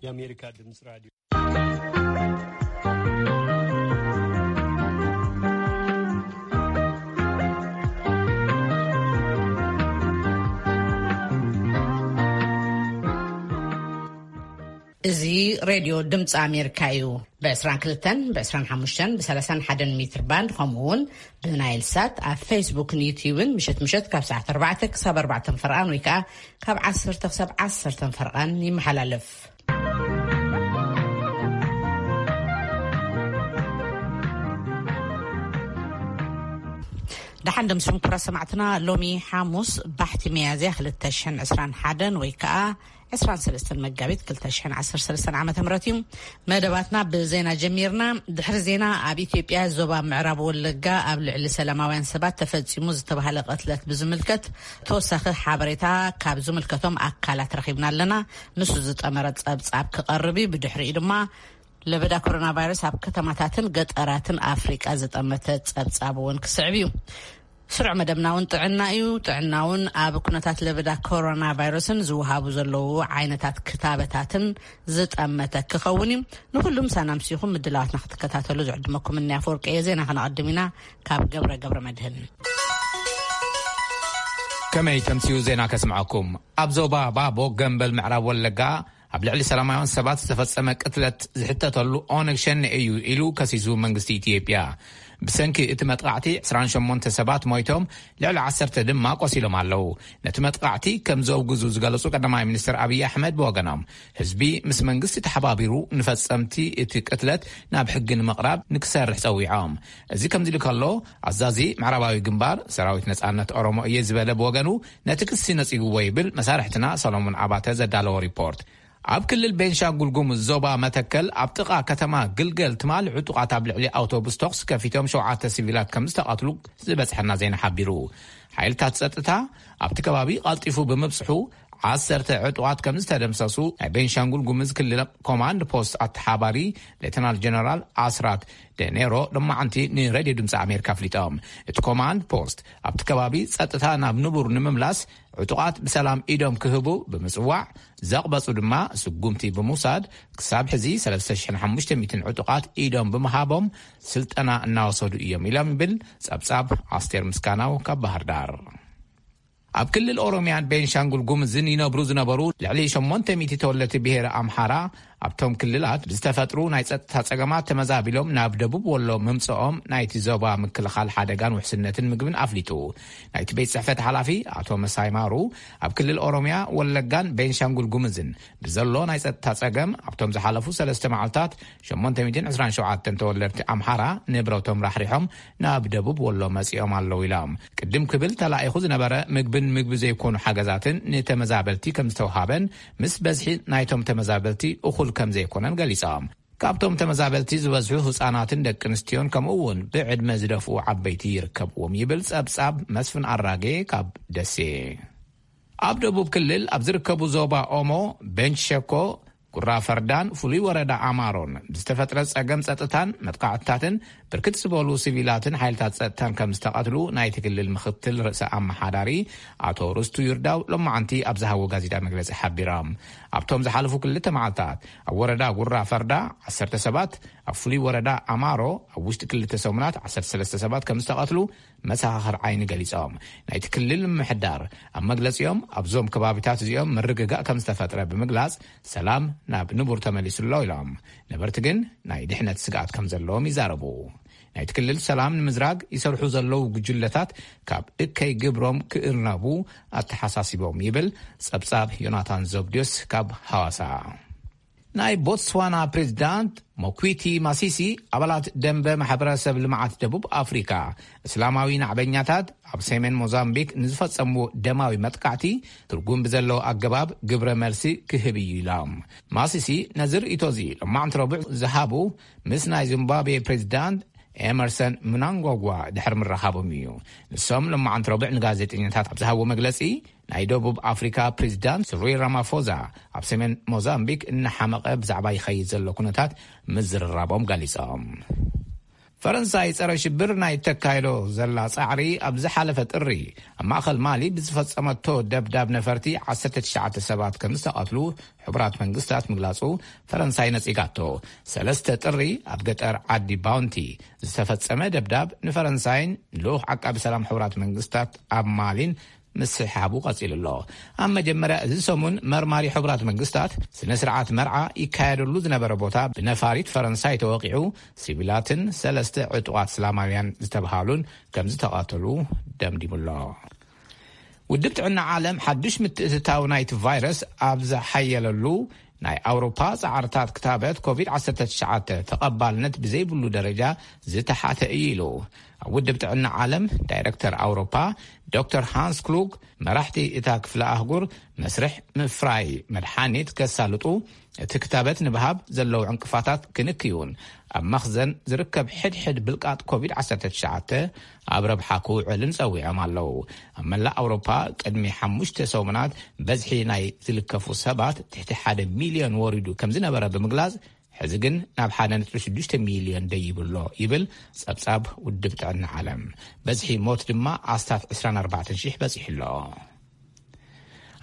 የአሜሪካ ድምፅ ራዲዮ። እዚ ሬድዮ ድምፂ ኣሜሪካ እዩ። ብ22፣ ብ25፣ ብ31 ሜትር ባንድ፣ ከምኡ እውን ብናይል ሳት ኣብ ፌስቡክን ዩትዩብን ምሸት ምሸት ካብ ሰዓት ኣርባዕተ ክሳብ ኣርባዕተ ፈርቓን ወይ ከዓ ካብ ዓሰርተ ክሳብ ዓሰርተ ፈርቓን ይመሓላለፍ። ደሓን ደምስም ኩራ ሰማዕትና። ሎሚ ሓሙስ ባሕቲ መያዝያ ክልተ ሽሕን ዕስራን ሓደን ወይ ከዓ ዕስራን ሰለስተን መጋቢት ክልተ ሽሕን ዓሰርተ ሰለስተን ዓመተ ምህረት እዩ። መደባትና ብዜና ጀሚርና። ድሕሪ ዜና፣ ኣብ ኢትዮጵያ ዞባ ምዕራብ ወለጋ ኣብ ልዕሊ ሰላማውያን ሰባት ተፈጺሙ ዝተባህለ ቅትለት ብዝምልከት ተወሳኺ ሓበሬታ ካብ ዝምልከቶም ኣካላት ረኺብና ኣለና። ንሱ ዝጠመረ ጸብጻብ ክቐርብ እዩ። ብድሕሪኡ ድማ ለበዳ ኮሮና ቫይረስ ኣብ ከተማታትን ገጠራትን ኣፍሪቃ ዝጠመተ ጸብጻብ እውን ክስዕብ እዩ። ስሩዕ መደብና እውን ጥዕና እዩ። ጥዕና እውን ኣብ ኩነታት ለበዳ ኮሮና ቫይረስን ዝወሃቡ ዘለዉ ዓይነታት ክታበታትን ዝጠመተ ክኸውን እዩ። ንኹሉ ምሳና ምሲኹም ምድላዋትና ክትከታተሉ ዝዕድመኩም እኒ ኣፈወርቂ እየ። ዜና ከነቐድም ኢና። ካብ ገብረ ገብረ መድህን። ከመይ ተምስዩ ዜና ከስምዐኩም። ኣብ ዞባ ባቦ ገምበል ምዕራብ ወለጋ ኣብ ልዕሊ ሰላማውያን ሰባት ዝተፈጸመ ቅትለት ዝሕተተሉ ኦነግ ሸኔ እዩ ኢሉ ከሲሱ መንግስቲ ኢትዮጵያ። ብሰንኪ እቲ መጥቃዕቲ ዕስራን ሸሞንተ ሰባት ሞይቶም፣ ልዕሊ ዓሰርተ ድማ ቆሲሎም ኣለዉ። ነቲ መጥቃዕቲ ከም ዘውግዙ ዝገለጹ ቀዳማይ ሚኒስትር ኣብይ ኣሕመድ ብወገኖም፣ ህዝቢ ምስ መንግስቲ ተሓባቢሩ ንፈጸምቲ እቲ ቅትለት ናብ ሕጊ ንምቕራብ ንክሰርሕ ጸዊዖም። እዚ ከምዚ ኢሉ ከሎ፣ ኣዛዚ ምዕራባዊ ግንባር ሰራዊት ነጻነት ኦሮሞ እየ ዝበለ ብወገኑ፣ ነቲ ክሲ ነጺግዎ ይብል መሳርሕትና ሰሎሞን ኣባተ ዘዳለዎ ሪፖርት። ኣብ ክልል ቤንሻንጉል ጉሙዝ ዞባ መተከል ኣብ ጥቓ ከተማ ግልገል ትማል ዕጡቓት ኣብ ልዕሊ ኣውቶቡስ ተኹሲ ከፊቶም ሸውዓተ ሲቪላት ከም ዝተቐትሉ ዝበጽሐና ዜና ሓቢሩ። ሓይልታት ጸጥታ ኣብቲ ከባቢ ቀልጢፉ ብምብጽሑ ዓሰርተ ዕጡቓት ከም ዝተደምሰሱ ናይ ቤንሻንጉል ጉሙዝ ክልል ኮማንድ ፖስት ኣተሓባሪ ሌተናል ጀነራል ኣስራት ደኔሮ ሎማዓንቲ ንሬድዮ ድምፂ ኣሜሪካ ኣፍሊጦም። እቲ ኮማንድ ፖስት ኣብቲ ከባቢ ጸጥታ ናብ ንቡር ንምምላስ ዕጡቓት ብሰላም ኢዶም ክህቡ ብምጽዋዕ፣ ዘቕበጹ ድማ ስጉምቲ ብምውሳድ፣ ክሳብ ሕዚ ሰለስተ ሽሕን ሓሙሽተ ሚእትን ዕጡቓት ኢዶም ብምሃቦም ስልጠና እናወሰዱ እዮም ኢሎም ይብል ጸብጻብ ኣስቴር ምስጋናው ካብ ባህር ዳር። ኣብ ክልል ኦሮሚያን ቤንሻንጉል ጉምዝን ይነብሩ ዝነበሩ ልዕሊ ሸሞንተ ሚእቲ ተወለድቲ ብሄረ ኣምሓራ ኣብቶም ክልላት ብዝተፈጥሩ ናይ ጸጥታ ጸገማት ተመዛቢሎም ናብ ደቡብ ወሎ ምምጽኦም ናይቲ ዞባ ምክልኻል ሓደጋን ውሕስነትን ምግብን ኣፍሊጡ። ናይቲ ቤት ጽሕፈት ሓላፊ ኣቶ መሳይ ማሩ፣ ኣብ ክልል ኦሮሚያ፣ ወለጋን ቤንሻንጉል ጉምዝን ብዘሎ ናይ ጸጥታ ጸገም ኣብቶም ዝሓለፉ ሰለስተ መዓልታት ሸሞንተ ሚእትን ዕስራን ሸውዓተን ተወለድቲ ኣምሓራ ንብረቶም ራሕሪሖም ናብ ደቡብ ወሎ መጺኦም ኣለዉ ኢሎም። ቅድም ክብል ተላኢኹ ዝነበረ ምግብን ምግቢ ዘይኮኑ ሓገዛትን ንተመዛበልቲ ከም ዝተውሃበን ምስ በዝሒ ናይቶም ተመዛበልቲ እኹል ከም ዘይኮነን ገሊጾም። ካብቶም ተመዛበልቲ ዝበዝሑ ህጻናትን ደቂ ኣንስትዮን ከምኡ እውን ብዕድመ ዝደፍኡ ዓበይቲ ይርከብዎም ይብል ጸብጻብ መስፍን ኣራጌ ካብ ደሴ። ኣብ ደቡብ ክልል ኣብ ዝርከቡ ዞባ ኦሞ፣ ቤንች ሸኮ፣ ጉራ ፈርዳን ፍሉይ ወረዳ ኣማሮን ብዝተፈጥረ ጸገም ጸጥታን መጥቃዕትታትን ብርክት ዝበሉ ሲቪላትን ሓይልታት ጸጥታን ከም ዝተቐትሉ ናይቲ ክልል ምክትል ርእሰ ኣመሓዳሪ ኣቶ ርስቱ ይርዳው ሎማዓንቲ ኣብ ዝሃቦ ጋዜጣ መግለጺ ሓቢሮም። ኣብቶም ዝሓለፉ ክልተ መዓልታት ኣብ ወረዳ ጉራ ፈርዳ ዓሰርተ ሰባት፣ ኣብ ፍሉይ ወረዳ ኣማሮ ኣብ ውሽጢ ክልተ ሰሙናት ዓሰርተ ሰለስተ ሰባት ከም ዝተቐትሉ መሰኻኽር ዓይኒ ገሊጾም። ናይቲ ክልል ምምሕዳር ኣብ መግለጺኦም፣ ኣብዞም ከባቢታት እዚኦም ምርግጋእ ከም ዝተፈጥረ ብምግላጽ፣ ሰላም ናብ ንቡር ተመሊሱ ኣሎ ኢሎም። ነበርቲ ግን ናይ ድሕነት ስግኣት ከም ዘለዎም ይዛረቡ። ናይቲ ክልል ሰላም ንምዝራግ ይሰርሑ ዘለዉ ጉጅለታት ካብ እከይ ግብሮም ክእርነቡ ኣተሓሳሲቦም ይብል ጸብጻብ ዮናታን ዘብድዮስ ካብ ሃዋሳ። ናይ ቦትስዋና ፕሬዚዳንት ሞኩዊቲ ማሲሲ፣ ኣባላት ደንበ ማሕበረሰብ ልምዓት ደቡብ ኣፍሪካ፣ እስላማዊ ናዕበኛታት ኣብ ሰሜን ሞዛምቢክ ንዝፈጸምዎ ደማዊ መጥቃዕቲ ትርጉም ብዘለዎ ኣገባብ ግብረ መልሲ ክህብ እዩ ኢሎም። ማሲሲ ነዚ ርእይቶ እዚ ሎማዕንቲ ረቡዕ ዝሃቡ ምስ ናይ ዚምባብዌ ፕሬዚዳንት ኤመርሰን ምናንጓጓ ድሕሪ ምራኻቦም እዩ። ንሶም ሎማዕንቲ ረቡዕ ንጋዜጠኛታት ኣብ ዝሃብዎ መግለጺ፣ ናይ ደቡብ ኣፍሪካ ፕሬዚዳንት ስሪል ራማፎዛ ኣብ ሰሜን ሞዛምቢክ እናሓመቐ ብዛዕባ ይኸይድ ዘሎ ኩነታት ምዝርራቦም ገሊጾም። ፈረንሳይ ጸረ ሽብር ናይ ተካይዶ ዘላ ጻዕሪ ኣብ ዝሓለፈ ጥሪ ኣብ ማእከል ማሊ ብዝፈጸመቶ ደብዳብ ነፈርቲ ዓሰርተ ትሽዓተ ሰባት ከም ዝተቐትሉ ሕቡራት መንግስታት ምግላጹ ፈረንሳይ ነጺጋቶ። ሰለስተ ጥሪ ኣብ ገጠር ዓዲ ባውንቲ ዝተፈጸመ ደብዳብ ንፈረንሳይን ልኡኽ ዓቃቢ ሰላም ሕቡራት መንግስታት ኣብ ማሊን ምስሕሓቡ ቀጺሉ ኣሎ። ኣብ መጀመርያ እዚ ሰሙን መርማሪ ሕቡራት መንግስታት ስነ ስርዓት መርዓ ይካየደሉ ዝነበረ ቦታ ብነፋሪት ፈረንሳይ ተወቂዑ፣ ሲቪላትን ሰለስተ ዕጡቓት እስላማውያን ዝተብሃሉን ከም ዝተቐተሉ ደምዲሙ ኣሎ። ውድብ ጥዕና ዓለም ሓዱሽ ምትእትታው ናይቲ ቫይረስ ኣብ ዝሓየለሉ ናይ ኣውሮፓ ጻዕርታት ክታበት ኮቪድ ዓሰርተ ትሽዓተ ተቐባልነት ብዘይብሉ ደረጃ ዝተሓተ እዩ ኢሉ። ኣብ ውድብ ጥዕና ዓለም ዳይረክተር ኣውሮፓ ዶክተር ሃንስ ክሉግ፣ መራሕቲ እታ ክፍለ ኣህጉር መስርሕ ምፍራይ መድሓኒት ከሳልጡ፣ እቲ ክታበት ንብሃብ ዘለዉ ዕንቅፋታት ክንክዩን ኣብ መኽዘን ዝርከብ ሕድሕድ ብልቃጥ ኮቪድ ዓሰርተ ትሽዓተ ኣብ ረብሓ ክውዕልን ጸዊዖም ኣለዉ። ኣብ መላእ ኣውሮፓ ቅድሚ ሓሙሽተ ሰሙናት በዝሒ ናይ ዝልከፉ ሰባት ትሕቲ ሓደ ሚልዮን ወሪዱ ከም ዝነበረ ብምግላጽ፣ ሕዚ ግን ናብ ሓደ ነጥቢ ሽዱሽተ ሚልዮን ደይቡ ኣሎ ይብል ጸብጻብ ውድብ ጥዕና ዓለም። በዝሒ ሞት ድማ ኣስታት ዕስራን ኣርባዕተን ሽሕ በጺሑ ኣሎ።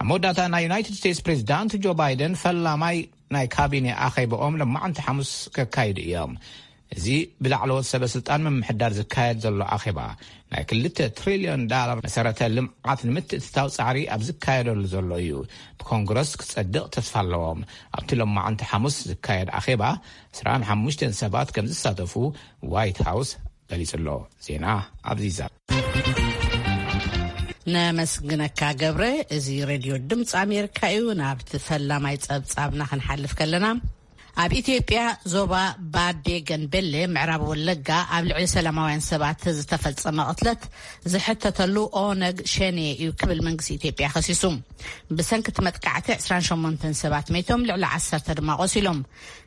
ኣብ መወዳእታ፣ ናይ ዩናይትድ ስቴትስ ፕሬዚዳንት ጆ ባይደን ፈላማይ ናይ ካቢኔ ኣኼባኦም ለማዕንቲ ሓሙስ ከካይዱ እዮም። እዚ ብላዕለዎት ሰበ ስልጣን ምምሕዳር ዝካየድ ዘሎ ኣኼባ፣ ናይ ክልተ ትሪልዮን ዳላር መሰረተ ልምዓት ንምትእትታው ጻዕሪ ኣብ ዝካየደሉ ዘሎ እዩ። ብኮንግረስ ክጸድቕ ተስፋ ኣለዎም። ኣብቲ ለማዕንቲ ሓሙስ ዝካየድ ኣኼባ፣ ዕስራን ሓሙሽተን ሰባት ከም ዝሳተፉ ዋይት ሃውስ ገሊጹ ኣሎ። ዜና ኣብዚዛ። ነመስግነካ ገብረ። እዚ ሬድዮ ድምፂ ኣሜሪካ እዩ። ናብቲ ፈላማይ ጸብጻብና ክንሓልፍ ከለና፣ ኣብ ኢትዮጵያ ዞባ ባዴ ገንቤሌ ምዕራብ ወለጋ ኣብ ልዕሊ ሰላማውያን ሰባት ዝተፈጸመ ቅትለት ዝሕተተሉ ኦነግ ሸኔ እዩ ክብል መንግስቲ ኢትዮጵያ ከሲሱ። ብሰንኪ እቲ መጥቃዕቲ ዕስራን ሸሞንተን ሰባት መይቶም፣ ልዕሊ ዓሰርተ ድማ ቆሲሎም።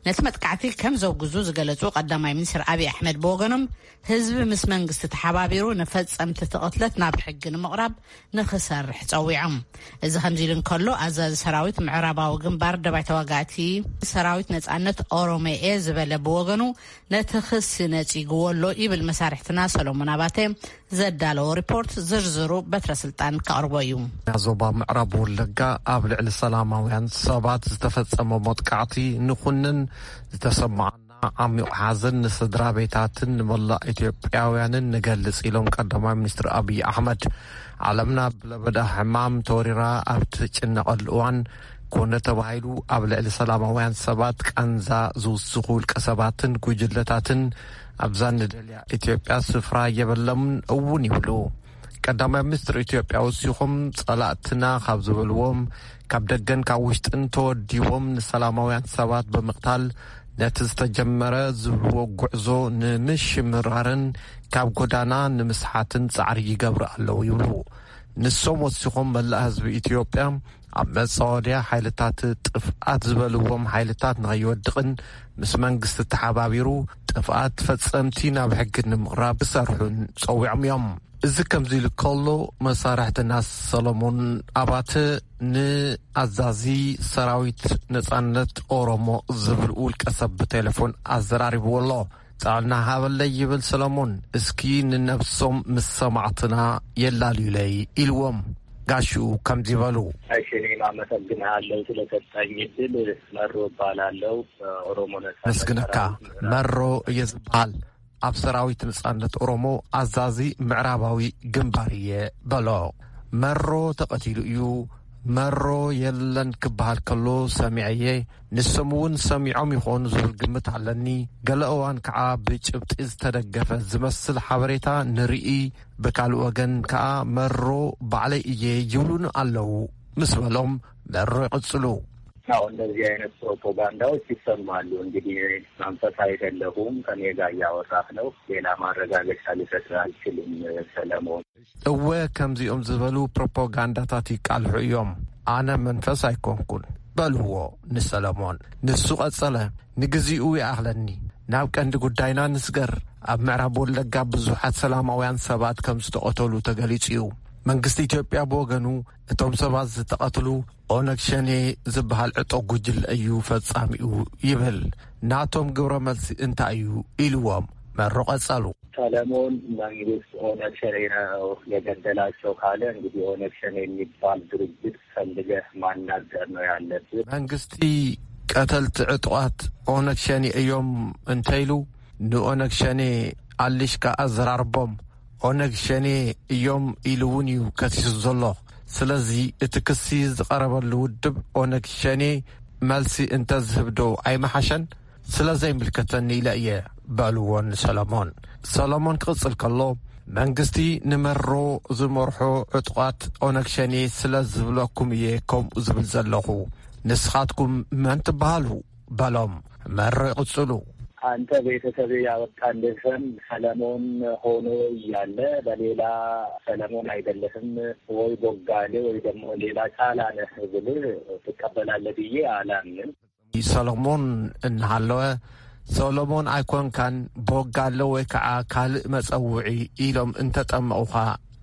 ነቲ መጥቃዕቲ ከም ዘውግዙ ዝገለጹ ቀዳማይ ሚኒስትር ኣብይ ኣሕመድ ብወገኖም፣ ህዝቢ ምስ መንግስቲ ተሓባቢሩ ንፈጸምቲ እቲ ቅትለት ናብ ሕጊ ንምቕራብ ንኽሰርሕ ጸዊዖም። እዚ ከምዚ ኢሉ እንከሎ፣ ኣዛዚ ሰራዊት ምዕራባዊ ግንባር ደባይ ተዋጋእቲ ሰራዊት ነጻነት ኦሮሞየ ዝበለ ብወገኑ፣ ነቲ ክሲ ነጺግዎ ኣሎ ይብል። መሳርሕትና ሰሎሞን ኣባተ ዘዳለዎ ሪፖርት ዝርዝሩ በትረ ስልጣን ከቕርቦ እዩ። ኣብ ዞባ ምዕራብ ወለጋ ኣብ ልዕሊ ሰላማውያን ሰባት ዝተፈጸመ መጥቃዕቲ ንኹንን፣ ዝተሰማዓና ዓሚቕ ሓዘን ንስድራ ቤታትን ንመላእ ኢትዮጵያውያንን ንገልጽ ኢሎም ቀዳማይ ሚኒስትር ኣብይ ኣሕመድ። ዓለምና ብለበዳ ሕማም ተወሪራ ኣብ ትጭነቐሉ እዋን፣ ኮነ ተባሂሉ ኣብ ልዕሊ ሰላማውያን ሰባት ቃንዛ ዝውስኹ ውልቀ ሰባትን ጉጅለታትን ኣብዛ ንደልያ ኢትዮጵያ ስፍራ የበሎምን እውን ይብሉ። ቀዳማይ ሚኒስትር ኢትዮጵያ ወሲኾም፣ ጸላእትና ካብ ዝበልዎም፣ ካብ ደገን ካብ ውሽጥን ተወዲቦም ንሰላማውያን ሰባት ብምቕታል፣ ነቲ ዝተጀመረ ዝብልዎ ጉዕዞ ንምሽምራርን ካብ ጎዳና ንምስሓትን ጻዕሪ ይገብሩ ኣለዉ ይብሉ። ንሶም ወሲኾም፣ መላእ ህዝቢ ኢትዮጵያ ኣብ መጻወድያ ሓይልታት ጥፍኣት ዝበልዎም ሓይልታት ንኸይወድቕን ምስ መንግስቲ ተሓባቢሩ ጥፍኣት ፈጸምቲ ናብ ሕጊ ንምቕራብ ክሰርሑን ጸዊዖም እዮም። እዚ ከምዚ ኢሉ ከሎ፣ መሳርሕትና ሰሎሞን ኣባተ ንኣዛዚ ሰራዊት ነጻነት ኦሮሞ ዝብል ውልቀ ሰብ ብቴሌፎን ኣዘራሪብዎ ኣሎ። ጥዕና ሃበለይ ይብል ሰሎሞን፣ እስኪ ንነብሶም ምስ ሰማዕትና የላልዩለይ ኢልዎም። ጋሽኡ ከምዚ በሉ። እሺ፣ እኔም አመሰግንሃለሁ ስለሰጠኝ እድል። መሮ እባላለሁ። በኦሮሞ ነጻነት መስግነካ። ሰራዊት ምዕራብ መሮ እየ ዝበሃል። ኣብ ሰራዊት ነጻነት ኦሮሞ ኣዛዚ ምዕራባዊ ግንባር እየ በሎ። መሮ ተቐቲሉ እዩ፣ መሮ የለን ክበሃል ከሎ ሰሚዐየ። ንሶም እውን ሰሚዖም ይኾኑ ዝብል ግምት ኣለኒ። ገለ እዋን ከዓ ብጭብጢ ዝተደገፈ ዝመስል ሓበሬታ ንርኢ። ብካልእ ወገን ከዓ መሮ ባዕለይ እየ ይብሉን ኣለዉ ምስ በሎም መሮ ይቕጽሉ። አዎ፣ እንደዚህ አይነት ፕሮፓጋንዳዎች ይሰማሉ። እንግዲህ መንፈስ አይደለሁም፣ ከኔ ጋር እያወራህ ነው። ሌላ ማረጋገጫ ልሰጥ አልችልም ሰለሞን። እወ፣ ከምዚኦም ዝበሉ ፕሮፓጋንዳታት ይቃልሑ እዮም። ኣነ መንፈስ ኣይኮንኩን በልዎ ንሰለሞን። ንሱ ቀጸለ፣ ንግዚኡ ይኣኽለኒ። ናብ ቀንዲ ጉዳይና ንስገር። ኣብ ምዕራብ ወለጋ ብዙሓት ሰላማውያን ሰባት ከም ዝተቐተሉ ተገሊጹ እዩ። መንግስቲ ኢትዮጵያ ብወገኑ፣ እቶም ሰባት ዝተቐትሉ ኦነግ ሸኔ ዝበሃል ዕጡቕ ጉጅለ እዩ ፈጻሚኡ ይብል። ናቶም ግብረ መልሲ እንታይ እዩ ኢልዎም? መሮ ቀጸሉ። ሰለሞን መንግስት ኦነግ ሸኔ ነው የገደላቸው ካለ እንግዲህ ኦነግ ሸኔ የሚባል ድርጅት ፈልገህ ማናገር ነው ያለብህ። መንግስቲ ቀተልቲ ዕጡቓት ኦነግ ሸኔ እዮም እንተኢሉ ንኦነግ ሸኔ ኣሊሽካ ኣዘራርቦም። ኦነግ ሸኔ እዮም ኢሉ እውን እዩ ከሲሱ ዘሎ። ስለዚ እቲ ክሲ ዝቐረበሉ ውድብ ኦነግ ሸኔ መልሲ እንተዝህብ ዶ ኣይመሓሸን? ስለ ዘይምልከተኒ ኢለ እየ በልዎ ንሰሎሞን። ሰሎሞን ክቕጽል ከሎ፣ መንግስቲ ንመሮ ዝመርሖ ዕጡቓት ኦነግ ሸኔ ስለ ዝብለኩም እየ ከምኡ ዝብል ዘለኹ። ንስኻትኩም መን ትበሃሉ? በሎም። መሮ ይቕጽሉ። አንተ ቤተሰብ ያወጣልህ ስም ሰለሞን ሆኖ እያለ በሌላ ሰለሞን አይደለህም ወይ ቦጋሌ ወይ ደግሞ ሌላ ጫላ ነህ ብልህ ትቀበላለህ ብዬ አላምንም። ሰሎሞን እናሃለወ፣ ሰሎሞን ኣይኮንካን፣ ቦጋለ ወይ ከዓ ካልእ መጸውዒ ኢሎም እንተጠመቑኻ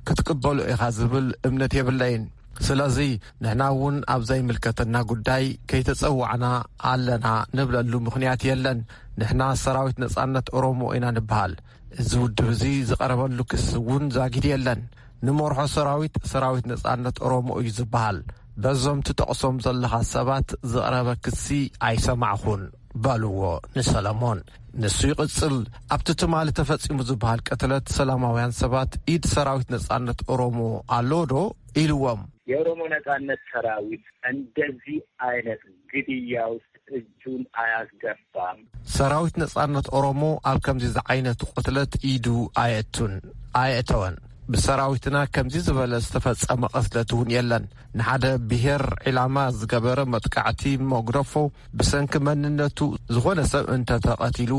ክትቅበሎ ኢኻ ዝብል እምነት የብለይን። ስለዚ ንሕና እውን ኣብ ዘይምልከተና ጉዳይ ከይተጸዋዕና ኣለና ንብለሉ ምኽንያት የለን። ንሕና ሰራዊት ነጻነት ኦሮሞ ኢና ንበሃል። እዚ ውድብ እዚ ዝቐረበሉ ክሲ እውን ዛጊድ የለን። ንመርሖ ሰራዊት፣ ሰራዊት ነጻነት ኦሮሞ እዩ ዝበሃል። በዞም ትጠቕሶም ዘለኻ ሰባት ዝቐረበ ክሲ ኣይሰማዕኹን በልዎ ንሰለሞን። ንሱ ይቕጽል፣ ኣብቲ ትማሊ ተፈጺሙ ዝበሃል ቅትለት ሰላማውያን ሰባት ኢድ ሰራዊት ነጻነት ኦሮሞ ኣሎ ዶ? ኢልዎም። የኦሮሞ ነጻነት ሰራዊት እንደዚህ አይነት ግድያ ውስጥ እጁን አያስገባም። ሰራዊት ነጻነት ኦሮሞ ኣብ ከምዚ ዝዓይነቱ ቅትለት ኢዱ ኣየእቱን፣ ኣየእተወን። ብሰራዊትና ከምዚ ዝበለ ዝተፈጸመ ቅትለት እውን የለን። ንሓደ ብሄር ዒላማ ዝገበረ መጥቃዕቲ መጉደፎ ብሰንኪ መንነቱ ዝኾነ ሰብ እንተተቐቲሉ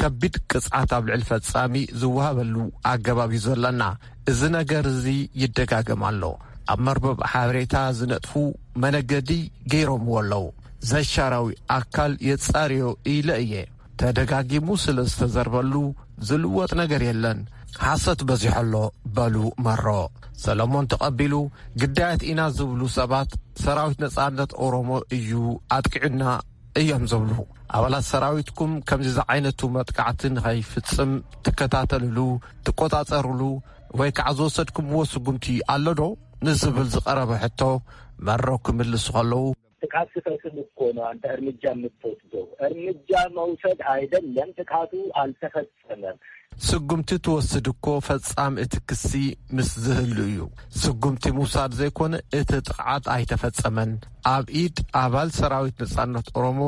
ከቢድ ቅጽዓት ኣብ ልዕሊ ፈጻሚ ዝወሃበሉ ኣገባብ እዩ ዘለና። እዚ ነገር እዚ ይደጋገም ኣሎ። ኣብ መርበብ ሓበሬታ ዝነጥፉ መነገዲ ገይሮምዎ ኣለዉ። ዘሻራዊ ኣካል የጻርዮ ኢለ እየ። ተደጋጊሙ ስለ ዝተዘርበሉ ዝልወጥ ነገር የለን። ሓሰት በዚሖ ኣሎ በሉ መሮ። ሰለሞን ተቐቢሉ፣ ግዳያት ኢና ዝብሉ ሰባት ሰራዊት ነጻነት ኦሮሞ እዩ ኣጥቂዑና እዮም ዝብሉ። ኣባላት ሰራዊትኩም ከምዚ ዝዓይነቱ መጥቃዕቲ ንኸይፍጽም ትከታተልሉ፣ ትቆጻጸርሉ ወይ ከዓ ዝወሰድኩምዎ ስጉምቲ ኣሎ ዶ? ንዝብል ዝቐረበ ሕቶ መሮ ክምልሱ ከለዉ፣ ጥቃት ስፈጽም እኮ ነው አንተ እርምጃ የምትወስደው። እርምጃ መውሰድ አይደለም፣ ጥቃቱ አልተፈጸመም። ስጉምቲ ትወስድ እኮ ፈጻሚ እቲ ክሲ ምስ ዝህሉ እዩ። ስጉምቲ ምውሳድ ዘይኮነ እቲ ጥቕዓት ኣይተፈጸመን። ኣብ ኢድ ኣባል ሰራዊት ነጻነት ኦሮሞ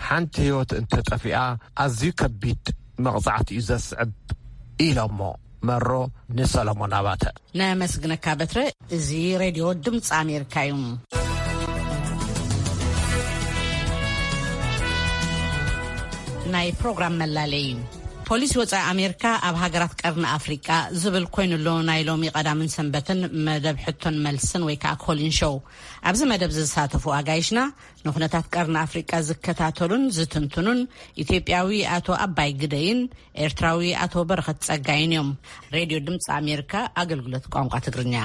ሓንቲ ህይወት እንተጠፊኣ ኣዝዩ ከቢድ መቕጻዕቲ እዩ ዘስዕብ ኢሎሞ መሮ ንሰለሞን ኣባተ። ነመስግነካ በትረ። እዚ ሬድዮ ድምፂ ኣሜሪካ እዩ። ናይ ፕሮግራም መላለይ። ፖሊሲ ወፃኢ ኣሜሪካ ኣብ ሃገራት ቀርኒ ኣፍሪቃ ዝብል ኮይኑሎ ናይ ሎሚ ቀዳምን ሰንበትን መደብ ሕቶን መልስን ወይ ከዓ ኮሊን ሾው። ኣብዚ መደብ ዝሳተፉ ኣጋይሽና ንኩነታት ቀርኒ ኣፍሪቃ ዝከታተሉን ዝትንትኑን ኢትዮጵያዊ ኣቶ ኣባይ ግደይን ኤርትራዊ ኣቶ በረኸት ጸጋይን እዮም። ሬድዮ ድምፂ ኣሜሪካ ኣገልግሎት ቋንቋ ትግርኛ።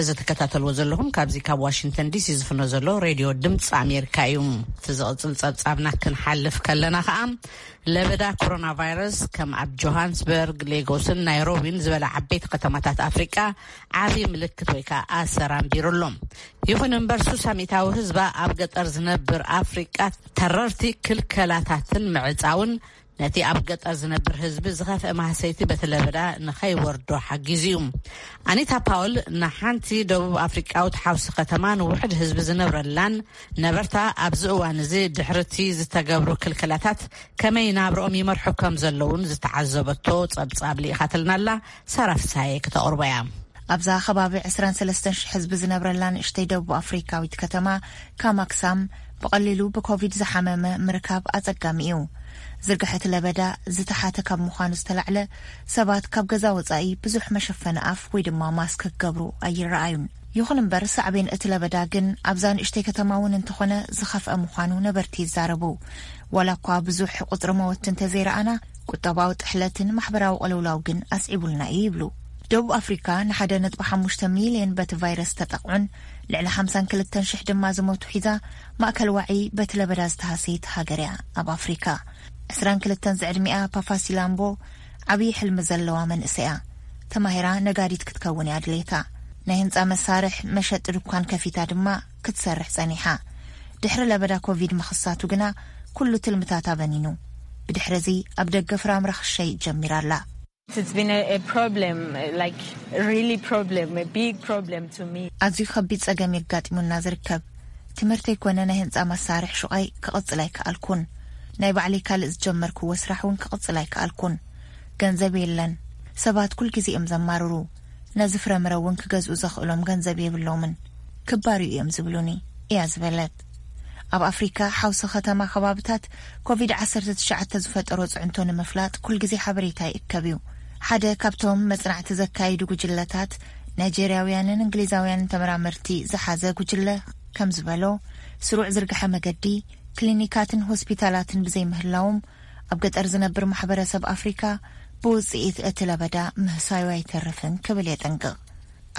እዚ ትከታተልዎ ዘለኹም ካብዚ ካብ ዋሽንግተን ዲሲ ዝፍኖ ዘሎ ሬድዮ ድምፂ ኣሜሪካ እዩ። እቲ ዝቕፅል ጸብጻብና ክንሓልፍ ከለና ከኣ ለበዳ ኮሮና ቫይረስ ከም ኣብ ጆሃንስበርግ፣ ሌጎስን ናይሮቢን ዝበላ ዓበይቲ ከተማታት ኣፍሪቃ ዓብዪ ምልክት ወይ ከዓ ኣሰር ኣንቢሩ ኣሎ። ይኹን እምበር ሱሳ ሚእታዊ ህዝባ ኣብ ገጠር ዝነብር ኣፍሪቃ ተረርቲ ክልከላታትን ምዕፃውን ነቲ ኣብ ገጠር ዝነብር ህዝቢ ዝኸፍአ ማህሰይቲ በቲ ለበዳ ንኸይወርዶ ሓጊዙ እዩ። ኣኒታ ፓውል ንሓንቲ ደቡብ ኣፍሪቃዊት ሓውሲ ከተማ ንውሕድ ህዝቢ ዝነብረላን ነበርታ ኣብዚ እዋን እዚ ድሕርቲ ዝተገብሩ ክልከላታት ከመይ ናብርኦም ይመርሑ ከም ዘለውን ዝተዓዘበቶ ጸብጻብ ልኢኻትልናላ። ሳራ ፍስሃየ ክተቕርቦ እያ። ኣብዛ ከባቢ ዕስራን ሰለስተን ሽሕ ህዝቢ ዝነብረላ ንእሽተይ ደቡብ ኣፍሪካዊት ከተማ ካማክሳም ብቐሊሉ ብኮቪድ ዝሓመመ ምርካብ ኣጸጋሚ እዩ። ዝርግሐት ለበዳ ዝተሓተ ካብ ምዃኑ ዝተላዕለ ሰባት ካብ ገዛ ወጻኢ ብዙሕ መሸፈኒ ኣፍ ወይ ድማ ማስክ ክገብሩ ኣይረኣዩን። ይኹን እምበር ሳዕቤን እቲ ለበዳ ግን ኣብዛ ንእሽተይ ከተማ እውን እንተኾነ ዝኸፍአ ምዃኑ ነበርቲ ይዛረቡ። ዋላ እኳ ብዙሕ ቁጽሪ መወቲ እንተዘይረኣና ቁጠባዊ ጥሕለትን ማሕበራዊ ቅልውላው ግን ኣስዒቡልና እዩ ይብሉ። ደቡብ ኣፍሪካ ን ሓደ ነጥቢ ሓሙሽተ ሚልዮን በቲ ቫይረስ ዝተጠቕዑን ልዕሊ ሓምሳን ክልተን ሽሕ ድማ ዝሞቱ ሒዛ፣ ማእከል ዋዒ በቲ ለበዳ ዝተሃሰየት ሃገር እያ። ኣብ ኣፍሪካ ዕስራን ክልተን ዝዕድሚኣ ፓፋሲላምቦ ዓብዪ ሕልሚ ዘለዋ መንእሰይ እያ። ተማሂራ ነጋዲት ክትከውን እያ ድሌታ። ናይ ህንፃ መሳርሕ መሸጢ ድኳን ከፊታ ድማ ክትሰርሕ ጸኒሓ። ድሕሪ ለበዳ ኮቪድ ምኽሳቱ ግና ኩሉ ትልምታታ በኒኑ። ብድሕሪ እዚ ኣብ ደገ ፍራምረ ክሸይጥ ጀሚራ ኣላ። It's been a, a problem, like, really problem, a big problem to me. ኣዝዩ ከቢድ ጸገም የጋጢሙና ዝርከብ። ትምህርተይ ኮነ ናይ ህንጻ መሳርሕ ሹቓይ ክቕጽል ኣይከኣልኩን። ናይ ባዕለይ ካልእ ዝጀመርክዎ ስራሕ እውን ክቕጽል ኣይከኣልኩን። ገንዘብ የለን። ሰባት ኩል ግዜ እዮም ዘማርሩ። ነዚ ፍረምረ እውን ክገዝኡ ዘኽእሎም ገንዘብ የብሎምን። ክባርዩ እዮም ዝብሉኒ እያ ዝበለት። ኣብ ኣፍሪካ ሓውሲ ከተማ ከባብታት ኮቪድ ዓሰርተ ትሽዓተ ዝፈጠሮ ጽዕንቶ ንምፍላጥ ኩል ግዜ ሓበሬታ ይእከብ እዩ። ሓደ ካብቶም መጽናዕቲ ዘካይዱ ጉጅለታት ናይጄርያውያንን እንግሊዛውያንን ተመራመርቲ ዝሓዘ ጉጅለ ከም ዝበሎ፣ ስሩዕ ዝርግሐ መገዲ፣ ክሊኒካትን ሆስፒታላትን ብዘይምህላዎም ኣብ ገጠር ዝነብር ማሕበረሰብ ኣፍሪካ ብውፅኢት እቲ ለበዳ ምህሳዩ ኣይተርፍን ክብል የጠንቅቕ።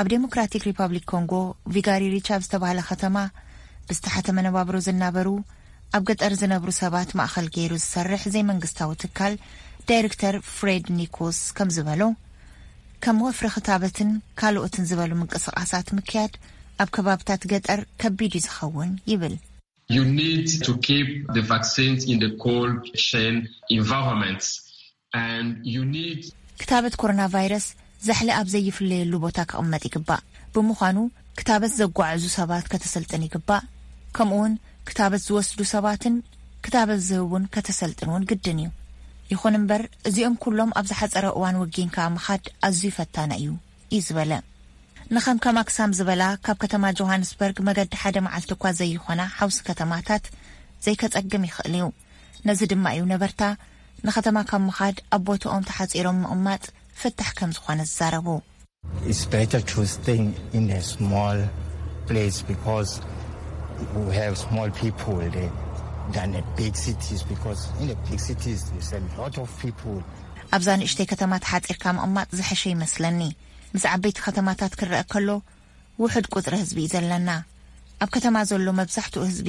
ኣብ ዴሞክራቲክ ሪፐብሊክ ኮንጎ ቪጋሪ ሪቻ ኣብ ዝተባህለ ከተማ ብዝተሓተ መነባብሮ ዝናበሩ ኣብ ገጠር ዝነብሩ ሰባት ማእኸል ገይሩ ዝሰርሕ ዘይመንግስታዊ ትካል ዳይሬክተር ፍሬድ ኒኮስ ከም ዝበሎ፣ ከም ወፍሪ ክታበትን ካልኦትን ዝበሉ ምንቅስቓሳት ምክያድ ኣብ ከባብታት ገጠር ከቢድ እዩ ዝኸውን ይብል። You need to keep the vaccines in the cold chain environments, and you need ክታበት ኮሮና ቫይረስ ዛሕሊ ኣብ ዘይፍለየሉ ቦታ ክቕመጥ ይግባእ። ብምዃኑ ክታበት ዘጓዕዙ ሰባት ከተሰልጥን ይግባእ። ከምኡውን ክታበት ዝወስዱ ሰባትን ክታበት ዝህቡን ከተሰልጥን እውን ግድን እዩ። ይኹን እምበር እዚኦም ኩሎም ኣብ ዝሓጸረ እዋን ወጊንካ ምኻድ ኣዝዩ ፈታኒ እዩ እዩ ዝበለ። ንኸም ከም ኣክሳም ዝበላ ካብ ከተማ ጆሃንስበርግ መገዲ ሓደ መዓልቲ እኳ ዘይኾና ሓውሲ ከተማታት ዘይከጸግም ይኽእል እዩ። ነዚ ድማ እዩ ነበርታ ንኸተማ ካብ ምኻድ ኣብ ቦትኦም ተሓጺሮም ምቕማጥ ፍታሕ ከም ዝኾነ ዝዛረቡ። It's better to stay in a small place because we have small people there than a big cities, because in the big cities there's a lot of people. ኣብዛ ንእሽተይ ከተማ ተሓጺርካ ምቕማጥ ዝሐሸ ይመስለኒ። ምስ ዓበይቲ ከተማታት ክረአ ከሎ ውሑድ ቁጽሪ ህዝቢ እዩ ዘለና። ኣብ ከተማ ዘሎ መብዛሕትኡ ህዝቢ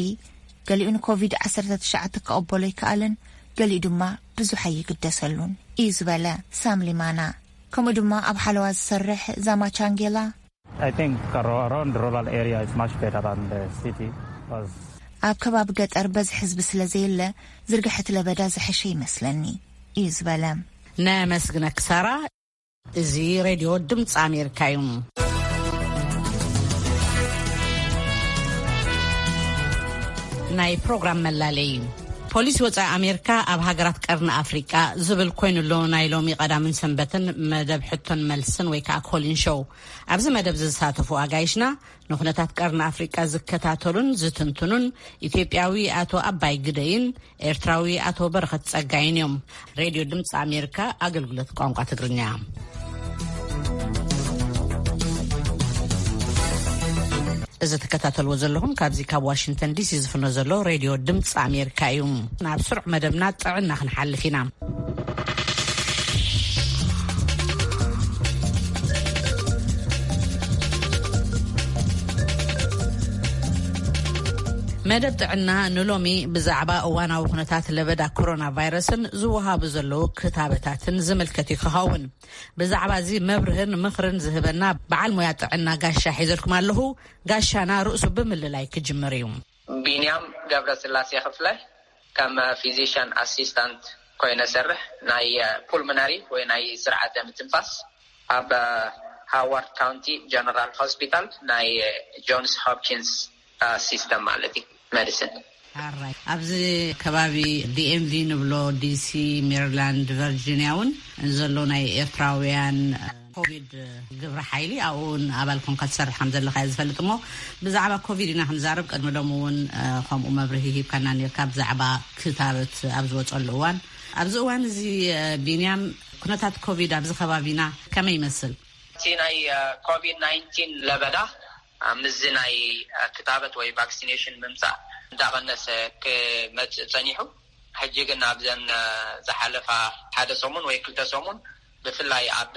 ገሊኡ ንኮቪድ ዓሰርተ ትሽዓተ ክቐበሎ ይከኣልን ገሊኡ ድማ ብዙሕ ኣይግደሰሉን እዩ ዝበለ ሳም ሊማና። ከምኡ ድማ ኣብ ሓለዋ ዝሰርሕ ዛማ ቻንጌላ I think around rural area is much better than the city, because ኣብ ከባቢ ገጠር በዚ ህዝቢ ስለ ዘየለ ዝርግሐት ለበዳ ዝሐሸ ይመስለኒ እዩ ዝበለ። ነመስግነክ ሳራ። እዚ ሬድዮ ድምፂ ኣሜሪካ እዩ። ናይ ፕሮግራም መላለይ። ፖሊሲ ወፃኢ ኣሜሪካ ኣብ ሃገራት ቀርኒ ኣፍሪቃ ዝብል ኮይኑ ኣሎ። ናይ ሎሚ ቀዳምን ሰንበትን መደብ ሕቶን መልስን ወይ ከዓ ኮሊን ሾው። ኣብዚ መደብ ዝሳተፉ ኣጋይሽና ንኩነታት ቀርኒ ኣፍሪቃ ዝከታተሉን ዝትንትኑን ኢትዮጵያዊ ኣቶ ኣባይ ግደይን ኤርትራዊ ኣቶ በረኸት ጸጋይን እዮም። ሬድዮ ድምፂ ኣሜሪካ ኣገልግሎት ቋንቋ ትግርኛ። እዚ ትከታተልዎ ዘለኹም ካብዚ ካብ ዋሽንግተን ዲሲ ዝፍኖ ዘሎ ሬድዮ ድምፂ ኣሜሪካ እዩ። ናብ ስሩዕ መደብና ጥዕና ክንሓልፍ ኢና። መደብ ጥዕና ንሎሚ ብዛዕባ እዋናዊ ኩነታት ለበዳ ኮሮና ቫይረስን ዝወሃቡ ዘለዉ ክታበታትን ዝምልከት እዩ ክኸውን። ብዛዕባ እዚ መብርህን ምኽርን ዝህበና በዓል ሞያ ጥዕና ጋሻ ሒዘልኩም ኣለኹ። ጋሻና ርእሱ ብምልላይ ክጅምር እዩ። ቢንያም ገብረስላሴ ክፍለ ከም ፊዚሽን ኣሲስታንት ኮይነ ሰርሕ ናይ ፑልሞነሪ ወይ ናይ ስርዓተ ምትንፋስ ኣብ ሃዋርድ ካውንቲ ጀነራል ሆስፒታል ናይ ጆንስ ሆፕኪንስ ሲስተም ማለት እዩ፣ ሜዲሲን። ኣራይ ኣብዚ ከባቢ ዲኤምቪ ንብሎ፣ ዲሲ፣ ሜሪላንድ፣ ቨርጂኒያ እውን ዘሎ ናይ ኤርትራውያን ኮቪድ ግብረ ሓይሊ ኣብኡ እውን ኣባል ኮንካ ትሰርሕ ከም ዘለካ እየ ዝፈልጥ። እሞ ብዛዕባ ኮቪድ ኢና ክንዛረብ። ቅድሚ ሎሚ እውን ከምኡ መብርሂ ሂብካና ነርካ ብዛዕባ ክታበት ኣብ ዝወፀሉ እዋን። ኣብዚ እዋን እዚ ቢንያም፣ ኩነታት ኮቪድ ኣብዚ ከባቢና ከመይ ይመስል? እቲ ናይ ኮቪድ ናይንቲን ለበዳ ምስዚ ናይ ክታበት ወይ ቫክሲኔሽን ምምፃእ እንዳቐነሰ ክመፅእ ፀኒሑ። ሕጂ ግን ኣብዘን ዝሓለፋ ሓደ ሰሙን ወይ ክልተ ሰሙን ብፍላይ ኣብ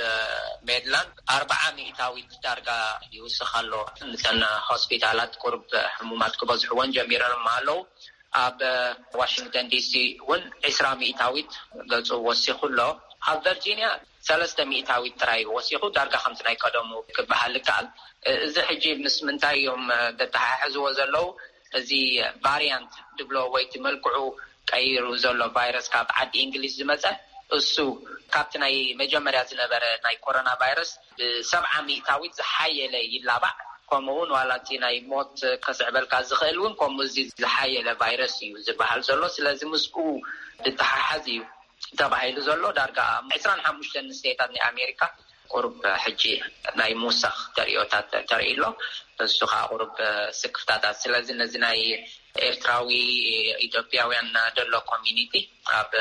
ሜድላንድ ኣርባዓ ሚእታዊት ዳርጋ ይውስኽ ኣሎ። ንተን ሆስፒታላት ቁርብ ሕሙማት ክበዝሕወን ጀሚረን ኣለዉ። ኣብ ዋሽንግተን ዲሲ እውን ዕስራ ሚእታዊት ገጹ ወሲኹ ኣሎ። ኣብ ቨርጂኒያ ሰለስተ ሚእታዊት ጥራይ ወሲኹ፣ ዳርጋ ከምቲ ናይ ቀደሙ ክበሃል ይከኣል። እዚ ሕጂ ምስ ምንታይ እዮም ዘተሓሕዝዎ ዘለዉ? እዚ ቫሪያንት ድብሎ ወይ እቲ መልክዑ ቀይሩ ዘሎ ቫይረስ ካብ ዓዲ እንግሊዝ ዝመጸ፣ እሱ ካብቲ ናይ መጀመርያ ዝነበረ ናይ ኮሮና ቫይረስ ብሰብዓ ሚእታዊት ዝሓየለ ይላባዕ። ከምኡ እውን ዋላ እቲ ናይ ሞት ከስዕበልካ ዝኽእል እውን ከምኡ እዚ ዝሓየለ ቫይረስ እዩ ዝበሃል ዘሎ። ስለዚ ምስኡ ዝተሓሓዝ እዩ ተባሂሉ ዘሎ። ዳርጋ ዕስራን ሓሙሽተን ስቴታት ናይ ኣሜሪካ ቁሩብ ሕጂ ናይ ምውሳኽ ተርእዮታት ተርኢ ኣሎ። እሱ ከዓ ቁሩብ ስክፍታታት። ስለዚ ነዚ ናይ ኤርትራዊ ኢትዮጵያውያን ደሎ ኮሚኒቲ ኣብ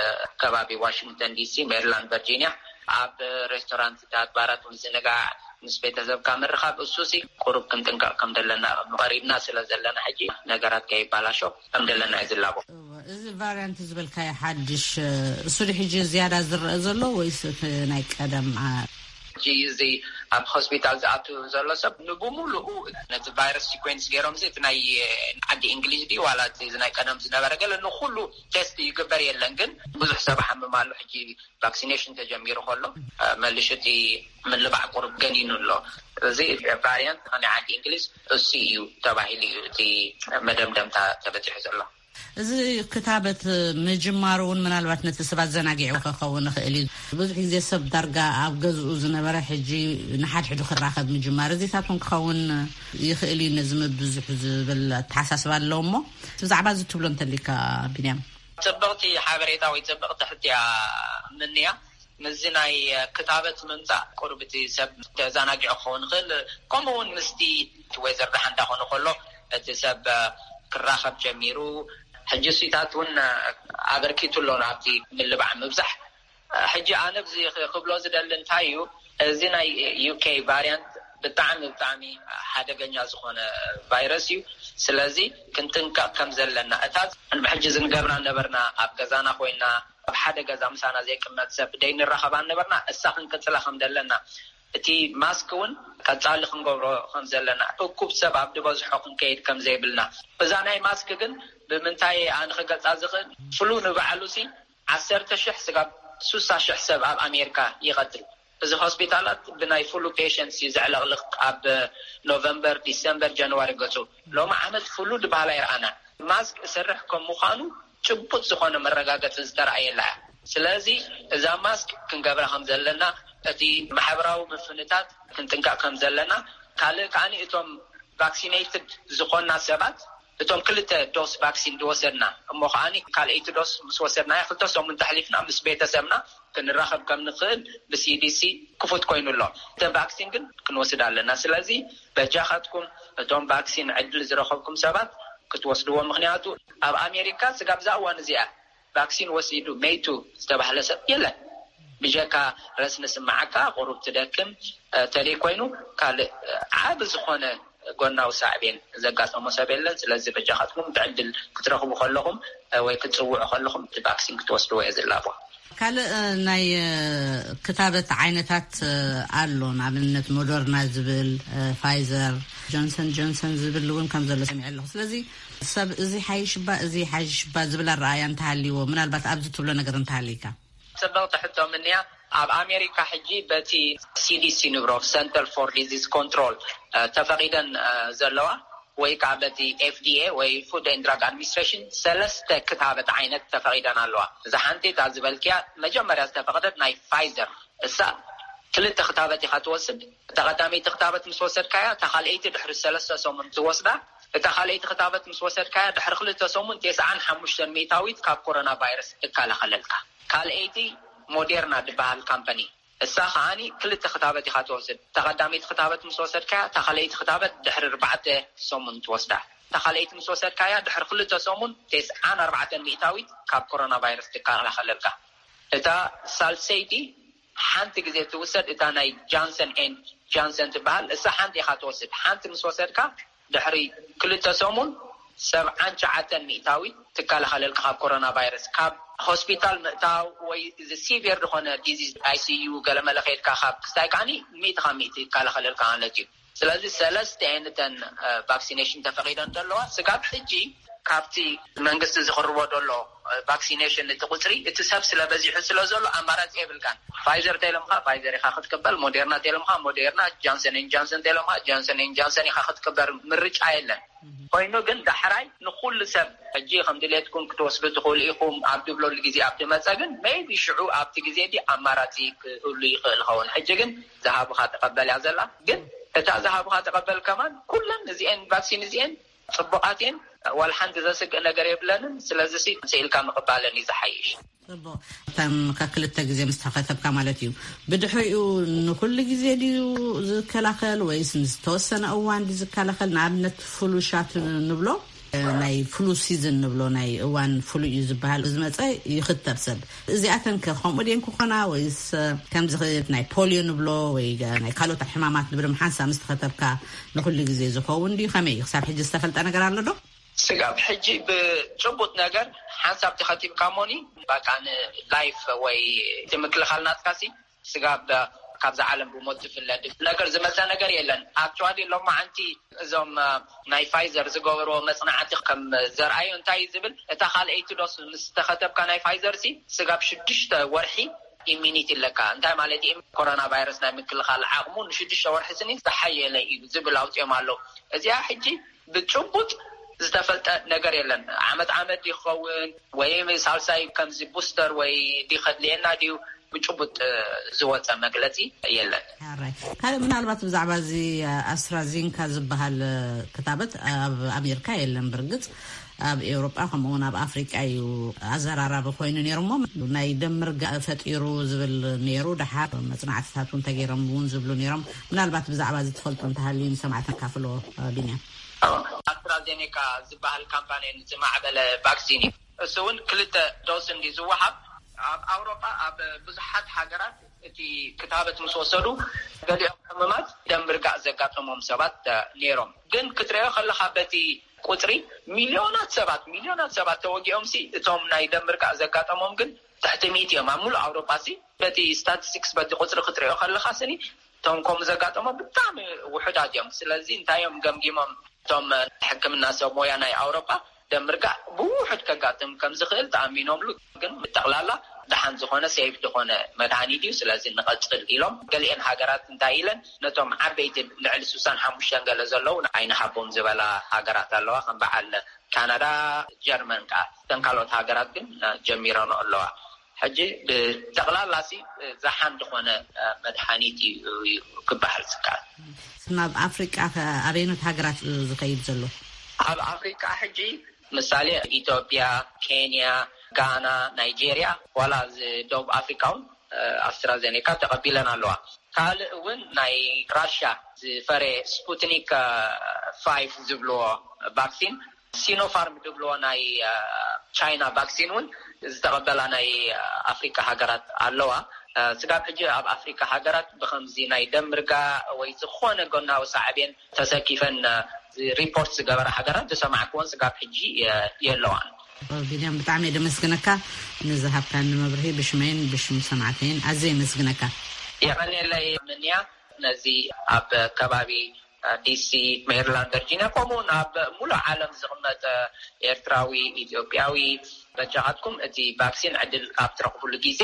ከባቢ ዋሽንግተን ዲሲ፣ ሜሪላንድ፣ ቨርጂኒያ ኣብ ሬስቶራንትታት፣ ባራት፣ ምዝንጋዕ፣ ምስ ቤተሰብካ ምርኻብ፣ እሱሲ ቁሩብ ክንጥንቀቕ ከም ዘለና ቀሪብና ስለ ዘለና ሕጂ ነገራት ከይባላሾ ከም ዘለና እዩ ዝላቦ። እዚ ቫርያንት ዝበልካዮ ሓድሽ እሱ ሕጂ ዝያዳ ዝረአ ዘሎ ወይስ እቲ ናይ ቀደም? ሕጂ እዚ ኣብ ሆስፒታል ዝኣቱ ዘሎ ሰብ ንብሙሉኡ ነቲ ቫይረስ ሲኮንስ ገይሮም እዚ እቲ ናይ ዓዲ እንግሊዝ ድዩ ዋላ እቲ ናይ ቀደም ዝነበረ ገለ ንኩሉ ቴስት ይግበር የለን፣ ግን ብዙሕ ሰብ ሓምም ኣሎ። ሕጂ ቫክሲኔሽን ተጀሚሩ ከሎ መሊሹ እቲ ምልባዕ ቁሩብ ገኒኑ ኣሎ። እዚ ቫርያንት ናይ ዓዲ እንግሊዝ እሱ እዩ ተባሂሉ እዩ እቲ መደምደምታ ተበፂሑ ዘሎ። እዚ ክታበት ምጅማሩ እውን ምናልባት ነቲ ሰብ ኣዘናጊዑ ክኸውን ይኽእል እዩ። ብዙሕ ግዜ ሰብ ዳርጋ ኣብ ገዝኡ ዝነበረ ሕጂ ንሓድሕዱ ክራኸብ ምጅማር እዚታት እውን ክኸውን ይኽእል እዩ። ነዚ ምብዝሑ ዝብል ኣተሓሳስባ ኣለዎ እሞ ብዛዕባ እዚ ትብሎ እንተሊካ ቢንያም? ፅብቕቲ ሓበሬታ ወይ ፅብቕቲ ሕትያ ምንያ። ምስዚ ናይ ክታበት ምምፃእ ቁርብቲ ሰብ ተዘናጊዑ ክኸውን ይኽእል። ከምኡ እውን ምስቲ እቲ ወይዘር ደሓን እንዳኾነ ከሎ እቲ ሰብ ክራኸብ ጀሚሩ። ሕጂ እሱታት እውን ኣበርኪቱ ኣሎ ናብቲ ምልባዕ ምብዛሕ። ሕጂ ኣነ ብዚ ክብሎ ዝደሊ እንታይ እዩ፣ እዚ ናይ ዩኬ ቫርያንት ብጣዕሚ ብጣዕሚ ሓደገኛ ዝኾነ ቫይረስ እዩ። ስለዚ ክንጥንቀቕ ከም ዘለና፣ እታ ሕጂ ዝንገብራ ነበርና ኣብ ገዛና ኮይና ኣብ ሓደ ገዛ ምሳና ዘይቅመጥ ሰብ ደይንራኸባ ነበርና፣ እሳ ክንቅጽላ ከም ዘለና፣ እቲ ማስክ እውን ቀጻሊ ክንገብሮ ከም ዘለና፣ እኩብ ሰብ ኣብ ዝበዝሖ ክንከይድ ከም ዘይብልና። እዛ ናይ ማስክ ግን ብምንታይ ኣነ ክገልጻ ዝኽእል፣ ፍሉ ንባዕሉ ሲ ዓሰርተ ሽሕ ስጋብ ሱሳ ሽሕ ሰብ ኣብ ኣሜሪካ ይቐትል። እዚ ሆስፒታላት ብናይ ፍሉ ፔሸንትስ እዩ ዘዕለቕልቕ። ኣብ ኖቨምበር፣ ዲሰምበር፣ ጃንዋሪ ገጹ። ሎሚ ዓመት ፍሉ ዝበሃል ኣይረኣና። ማስክ እሰርሕ ከም ምዃኑ ጭቡጥ ዝኾነ መረጋገጺ ዝተረኣየላ እያ። ስለዚ እዛ ማስክ ክንገብራ ከም ዘለና፣ እቲ ማሕበራዊ ምፍንታት ክንጥንቀቕ ከም ዘለና፣ ካልእ ከዓኒ እቶም ቫክሲኔትድ ዝኾና ሰባት፣ እቶም ክልተ ዶስ ቫክሲን ዝወሰድና እሞ ከዓኒ ካልኣይቲ ዶስ ምስ ወሰድናያ ክልተ ሰሙን ተሕሊፍና ምስ ቤተሰብና ክንራኸብ ከም ንኽእል ብሲዲሲ ክፉት ኮይኑ ኣሎ። እተን ቫክሲን ግን ክንወስድ ኣለና። ስለዚ በጃኻትኩም እቶም ቫክሲን ዕድል ዝረኸብኩም ሰባት ክትወስድዎ። ምኽንያቱ ኣብ ኣሜሪካ ስጋብ እዛ እዋን እዚኣ ቫክሲን ወሲዱ መይቱ ዝተባህለ ሰብ የለን። ብጀካ ረስኒ ስምዓካ፣ ቁሩብ ትደክም፣ ተለይ ኮይኑ ካልእ ዓቢ ዝኾነ ጎናዊ ሳዕቤን ዘጋጠሞ ሰብ የለን። ስለዚ በጃኻትኩም እቲ ዕድል ክትረኽቡ ከለኹም ወይ ክትጽውዑ ከለኹም እቲ ቫክሲን ክትወስድዎ እየ ዝላቦ። ካልእ ናይ ክታበት ዓይነታት ኣሎ፣ ንኣብነት ሞደርና ዝብል፣ ፋይዘር፣ ጆንሰን ጆንሰን ዝብል እውን ከም ዘሎ ሰሚዐ ኣለኹ። ስለዚ ሰብ እዚ ሓይሽ እባ እዚ ሓይሽ እባ ዝብል ኣረኣያ እንተሃልይዎ፣ ምናልባት ኣብዚ ትብሎ ነገር እንተሃልይካ። ጽብቕቲ ሕቶ ምንያ። ኣብ ኣሜሪካ ሕጂ በቲ ሲዲሲ ንብሮ፣ ሰንተር ፎር ዲዚዝ ኮንትሮል፣ ተፈቒደን ዘለዋ ወይ ከዓ በቲ ኤፍዲኤ ወይ ፉድ ኤንድ ድራግ ኣድሚኒስትሬሽን ሰለስተ ክታበት ዓይነት ተፈቒደን ኣለዋ። እዛ ሓንቲ እታ ዝበልክያ መጀመርያ ዝተፈቕደት ናይ ፋይዘር፣ እሳ ክልተ ክታበት ኢኻ ትወስድ። እታ ቀዳመይቲ ክታበት ምስ ወሰድካያ፣ እታ ካልኣይቲ ድሕሪ ሰለስተ ሰሙን ትወስዳ። እታ ካልኣይቲ ክታበት ምስ ወሰድካያ፣ ድሕሪ ክልተ ሰሙን ተስዓን ሓሙሽተን ሚእታዊት ካብ ኮሮና ቫይረስ ትከላኸለልካ። ካልኣይቲ ሞዴርና ዝበሃል ካምፓኒ፣ እሳ ከዓኒ ክልተ ክታበት ኢኻ ትወስድ። እታ ቀዳመይቲ ክታበት ምስ ወሰድካያ፣ እታ ካልኣይቲ ክታበት ድሕሪ ኣርባዕተ ሰሙን ትወስዳ። እታ ካልኣይቲ ምስ ወሰድካያ፣ ድሕሪ ክልተ ሰሙን ተስዓን ኣርባዕተን ሚእታዊት ካብ ኮሮና ቫይረስ ትከላኸለልካ። እታ ሳልሰይቲ ሓንቲ ግዜ ትውሰድ፣ እታ ናይ ጃንሰን ኤንድ ጃንሰን ትበሃል፣ እሳ ሓንቲ ኢኻ ትወስድ። ሓንቲ ምስ ወሰድካ፣ ድሕሪ ክልተ ሰሙን ሰብዓን ትሽዓተን ሚእታዊት ትከላኸለልካ ካብ ኮሮና ቫይረስ። ካብ ሆስፒታል ምእታው ወይ እዚ ሲቪር ዝኾነ ዲዚዝ ኣይ ሲ ዩ ገለመለ ከይድካ ካብ ክስታይ ከዓኒ ሚእቲ ካብ ሚእቲ ይከላኸለልካ ማለት እዩ። ስለዚ ሰለስተ እየን እተን ቫክሲኔሽን ተፈቒደን ዘለዋ። ስጋብ ሕጂ ካብቲ መንግስቲ ዝቕርቦ ዘሎ ቫክሲኔሽን እቲ ቁፅሪ እቲ ሰብ ስለ በዚሑ ስለ ዘሎ ኣማራፂ የብልካን። ፋይዘር ተይሎምካ ፋይዘር ኢኻ ክትቅበል፣ ሞዴርና ተይሎምካ ሞዴርና፣ ጃንሰን ን ጃንሰን ተይሎምካ ጃንሰን ን ጃንሰን ኢኻ ክትቅበር፣ ምርጫ የለን። ኮይኑ ግን ዳሕራይ ንኩሉ ሰብ ሕጂ ከም ድሌትኩም ክትወስዱ ትኽእሉ ኢኹም ኣብ ድብለሉ ግዜ ኣብ ድመፀ ግን maybe ሽዑ ኣብቲ ግዜ ዲ ኣማራፂ ክህሉ ይኽእል ኸውን። ሕጂ ግን ዝሃቡኻ ተቐበል እያ ዘላ። ግን እታ ዝሃቡኻ ተቐበል ከማን ኩለን እዚኤን ቫክሲን እዚኤን ፅቡቓት እየን። ዋላ ሓንቲ ዘስግእ ነገር የብለንን። ስለዚ ሲ ስኢልካ ምቕባለን እዩ ዝሓይሽ። ጽቡቕ። ከም ከክልተ ግዜ ምስ ተኸተብካ ማለት እዩ። ብድሕሪኡ ንኹሉ ግዜ ድዩ ዝከላኸል ወይስ ንዝተወሰነ እዋን ድዩ ዝከላኸል? ንኣብነት ፍሉ ሻት ንብሎ፣ ናይ ፍሉ ሲዝን ንብሎ ናይ እዋን ፍሉ እዩ ዝበሃል፣ ዝመጸ ይኽተብ ሰብ። እዚኣተን ከ ከምኡ ድየን ክኾና ወይስ ከምዚ ናይ ፖሊዮ ንብሎ ወይ ናይ ካልኦት ሕማማት ንብሎም ሓንሳብ ምስ ተኸተብካ ንኹሉ ግዜ ዝኸውን ድዩ? ከመይ እዩ ክሳብ ሕጂ ዝተፈልጠ ነገር ኣሎ ዶ? ስጋብ ሕጂ ብጭቡጥ ነገር ሓንሳብ ተኸቲብካ ሞኒ በቃ ንላይፍ ወይ እቲ ምክልኻል ናትካሲ ስጋብ ካብዛ ዓለም ብሞት ትፍለ ነገር ዝመፀ ነገር የለን። ኣክቹዋሊ ሎማዓንቲ እዞም ናይ ፋይዘር ዝገበርዎ መፅናዕቲ ከም ዘርኣዩ እንታይ እዩ ዝብል፣ እታ ካልኣይቲ ዶስ ምስ ተኸተብካ ናይ ፋይዘር ሲ ስጋብ ሽዱሽተ ወርሒ ኢሚኒቲ ኣለካ። እንታይ ማለት እዩ? ኮሮና ቫይረስ ናይ ምክልኻል ዓቕሙ ንሽዱሽተ ወርሒ ስኒ ዝሓየለ እዩ ዝብል ኣውፅኦም ኣለዉ። እዚኣ ሕጂ ብጭቡጥ ዝተፈልጠ ነገር የለን። ዓመት ዓመት ይኸውን ወይ ሳልሳይ ከምዚ ቡስተር ወይ ዲኸድልየና ድዩ? ብጭቡጥ ዝወፀ መግለፂ የለን። ሕራይ ካልእ ምናልባት ብዛዕባ እዚ ኣስትራዚንካ ዝበሃል ክታበት ኣብ ኣሜሪካ የለን። ብርግፅ ኣብ ኤውሮጳ ከምኡውን ኣብ ኣፍሪቃ እዩ ኣዘራራቢ ኮይኑ ነይሩ። እሞ ናይ ደም ምርጋእ ፈጢሩ ዝብል ነይሩ። ደሓር መፅናዕትታት እውን ተገይሮም እውን ዝብሉ ነይሮም። ምናልባት ብዛዕባ እዚ ትፈልጡ እንተሃልዩ ንሰማዕቲ ንካፍሎ። ቢንያም። ኣስትራዜኔካ ዝበሃል ካምፓኒ ዝማዕበለ ቫክሲን እዩ። እሱ እውን ክልተ ዶስ እንዲ ዝወሃብ ኣብ ኣውሮጳ ኣብ ብዙሓት ሃገራት እቲ ክታበት ምስ ወሰዱ ገሊኦም ሕሙማት ደም ርጋእ ዘጋጠሞም ሰባት ነይሮም። ግን ክትሪኦ ከለካ በቲ ቁፅሪ ሚሊዮናት ሰባት ሚሊዮናት ሰባት ተወጊኦም ሲ እቶም ናይ ደም ርጋእ ዘጋጠሞም ግን ትሕቲ ሚእቲ እዮም ኣብ ሙሉእ ኣውሮጳ ሲ። በቲ ስታቲስቲክስ በቲ ቁፅሪ ክትሪኦ ከለካ ስኒ እቶም ከምኡ ዘጋጠሞም ብጣዕሚ ውሑዳት እዮም። ስለዚ እንታይ እዮም ገምጊሞም እቶም ሕክምና ሰብ ሞያ ናይ ኣውሮጳ? ደም ርጋእ ብውሑድ ከጋጥም ከም ዝኽእል ተኣሚኖምሉ። ግን ብጠቕላላ ደሓን ዝኾነ ሴፍ ዝኾነ መድሃኒት እዩ። ስለዚ ንቐፅል ኢሎም ገሊኤን ሃገራት እንታይ ኢለን ነቶም ዓበይቲ ልዕሊ ስሳን ሓሙሽተን ገለ ዘለዉ ኣይንሃቦም ዝበላ ሃገራት ኣለዋ። ከም በዓል ካናዳ፣ ጀርመን ከዓ እተን ካልኦት ሃገራት ግን ጀሚረን ኣለዋ። ሕጂ ብጠቕላላ ሲ ዝሓን ዝኾነ መድሓኒት እዩ ክበሃል ዝከኣል። ናብ ኣፍሪቃ ከ ኣበይኖት ሃገራት ዝኸይድ ዘሎ? ኣብ ኣፍሪቃ ሕጂ ምሳሌ ኢትዮጵያ፣ ኬንያ፣ ጋና፣ ናይጄርያ ዋላ እዚ ደቡብ ኣፍሪቃ እውን ኣስትራዜኔካ ተቐቢለን ኣለዋ። ካልእ እውን ናይ ራሻ ዝፈረ ስፑትኒክ ፋይፍ ዝብልዎ ቫክሲን፣ ሲኖፋርም ዝብልዎ ናይ ቻይና ቫክሲን እውን ዝተቐበላ ናይ ኣፍሪካ ሃገራት ኣለዋ። ስጋብ ሕጂ ኣብ ኣፍሪካ ሃገራት ብከምዚ ናይ ደም ርጋ ወይ ዝኾነ ጎናዊ ሳዕቤን ተሰኪፈን ሪፖርት ዝገበራ ሃገራት ዝሰማዕክዎን ስጋብ ሕጂ የለዋን። ቢንያም፣ ብጣዕሚ እየ ደመስግነካ ንዝሃብካኒ መብርሂ ብሽመይን ብሽም ሰማዕተይን ኣዘ የመስግነካ። የቐንየለይ ምንያ። ነዚ ኣብ ከባቢ ዲሲ፣ ሜሪላንድ፣ ቨርጂኒያ ከምኡውን ኣብ ሙሉእ ዓለም ዝቕመጥ ኤርትራዊ፣ ኢትዮጵያዊ በጃኻትኩም እቲ ቫክሲን ዕድል ኣብ ትረኽብሉ ግዜ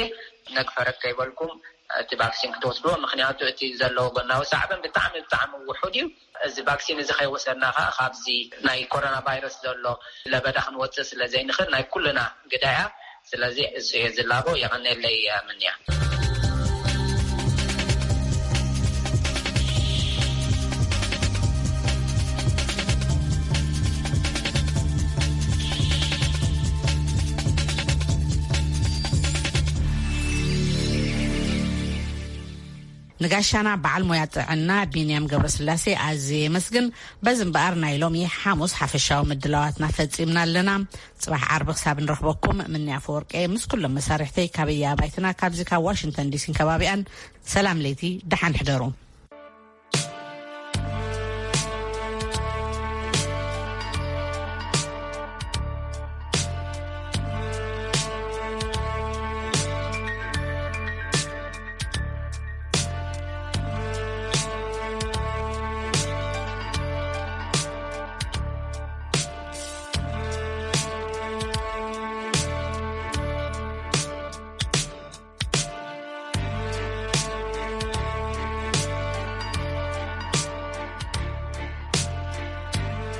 ነግፈረግ ከይበልኩም እቲ ቫክሲን ክትወስድዎ። ምክንያቱ እቲ ዘለዎ ጎናዊ ሳዕበን ብጣዕሚ ብጣዕሚ ውሑድ እዩ። እዚ ቫክሲን እዚ ከይወሰድና ከዓ ካብዚ ናይ ኮሮና ቫይረስ ዘሎ ለበዳ ክንወፅእ ስለ ዘይንኽእል ናይ ኩልና ግዳያ። ስለዚ እሱ እየ ዝላቦ። የቐንየለይ ምንያ። ንጋሻና በዓል ሞያ ጥዕና ቢንያም ገብረስላሴ ኣዝየ የመስግን። በዚ እምበኣር ናይ ሎሚ ሓሙስ ሓፈሻዊ ምድላዋትና ፈጺምና ኣለና። ጽባሕ ዓርቢ ክሳብ ንረኽበኩም ምንያ ፈወርቀ ምስ ኩሎም መሳርሕተይ ካበየ ኣባይትና ካብዚ ካብ ዋሽንግተን ዲሲን ከባቢኣን ሰላም ለይቲ ደሓን ሕደሩ።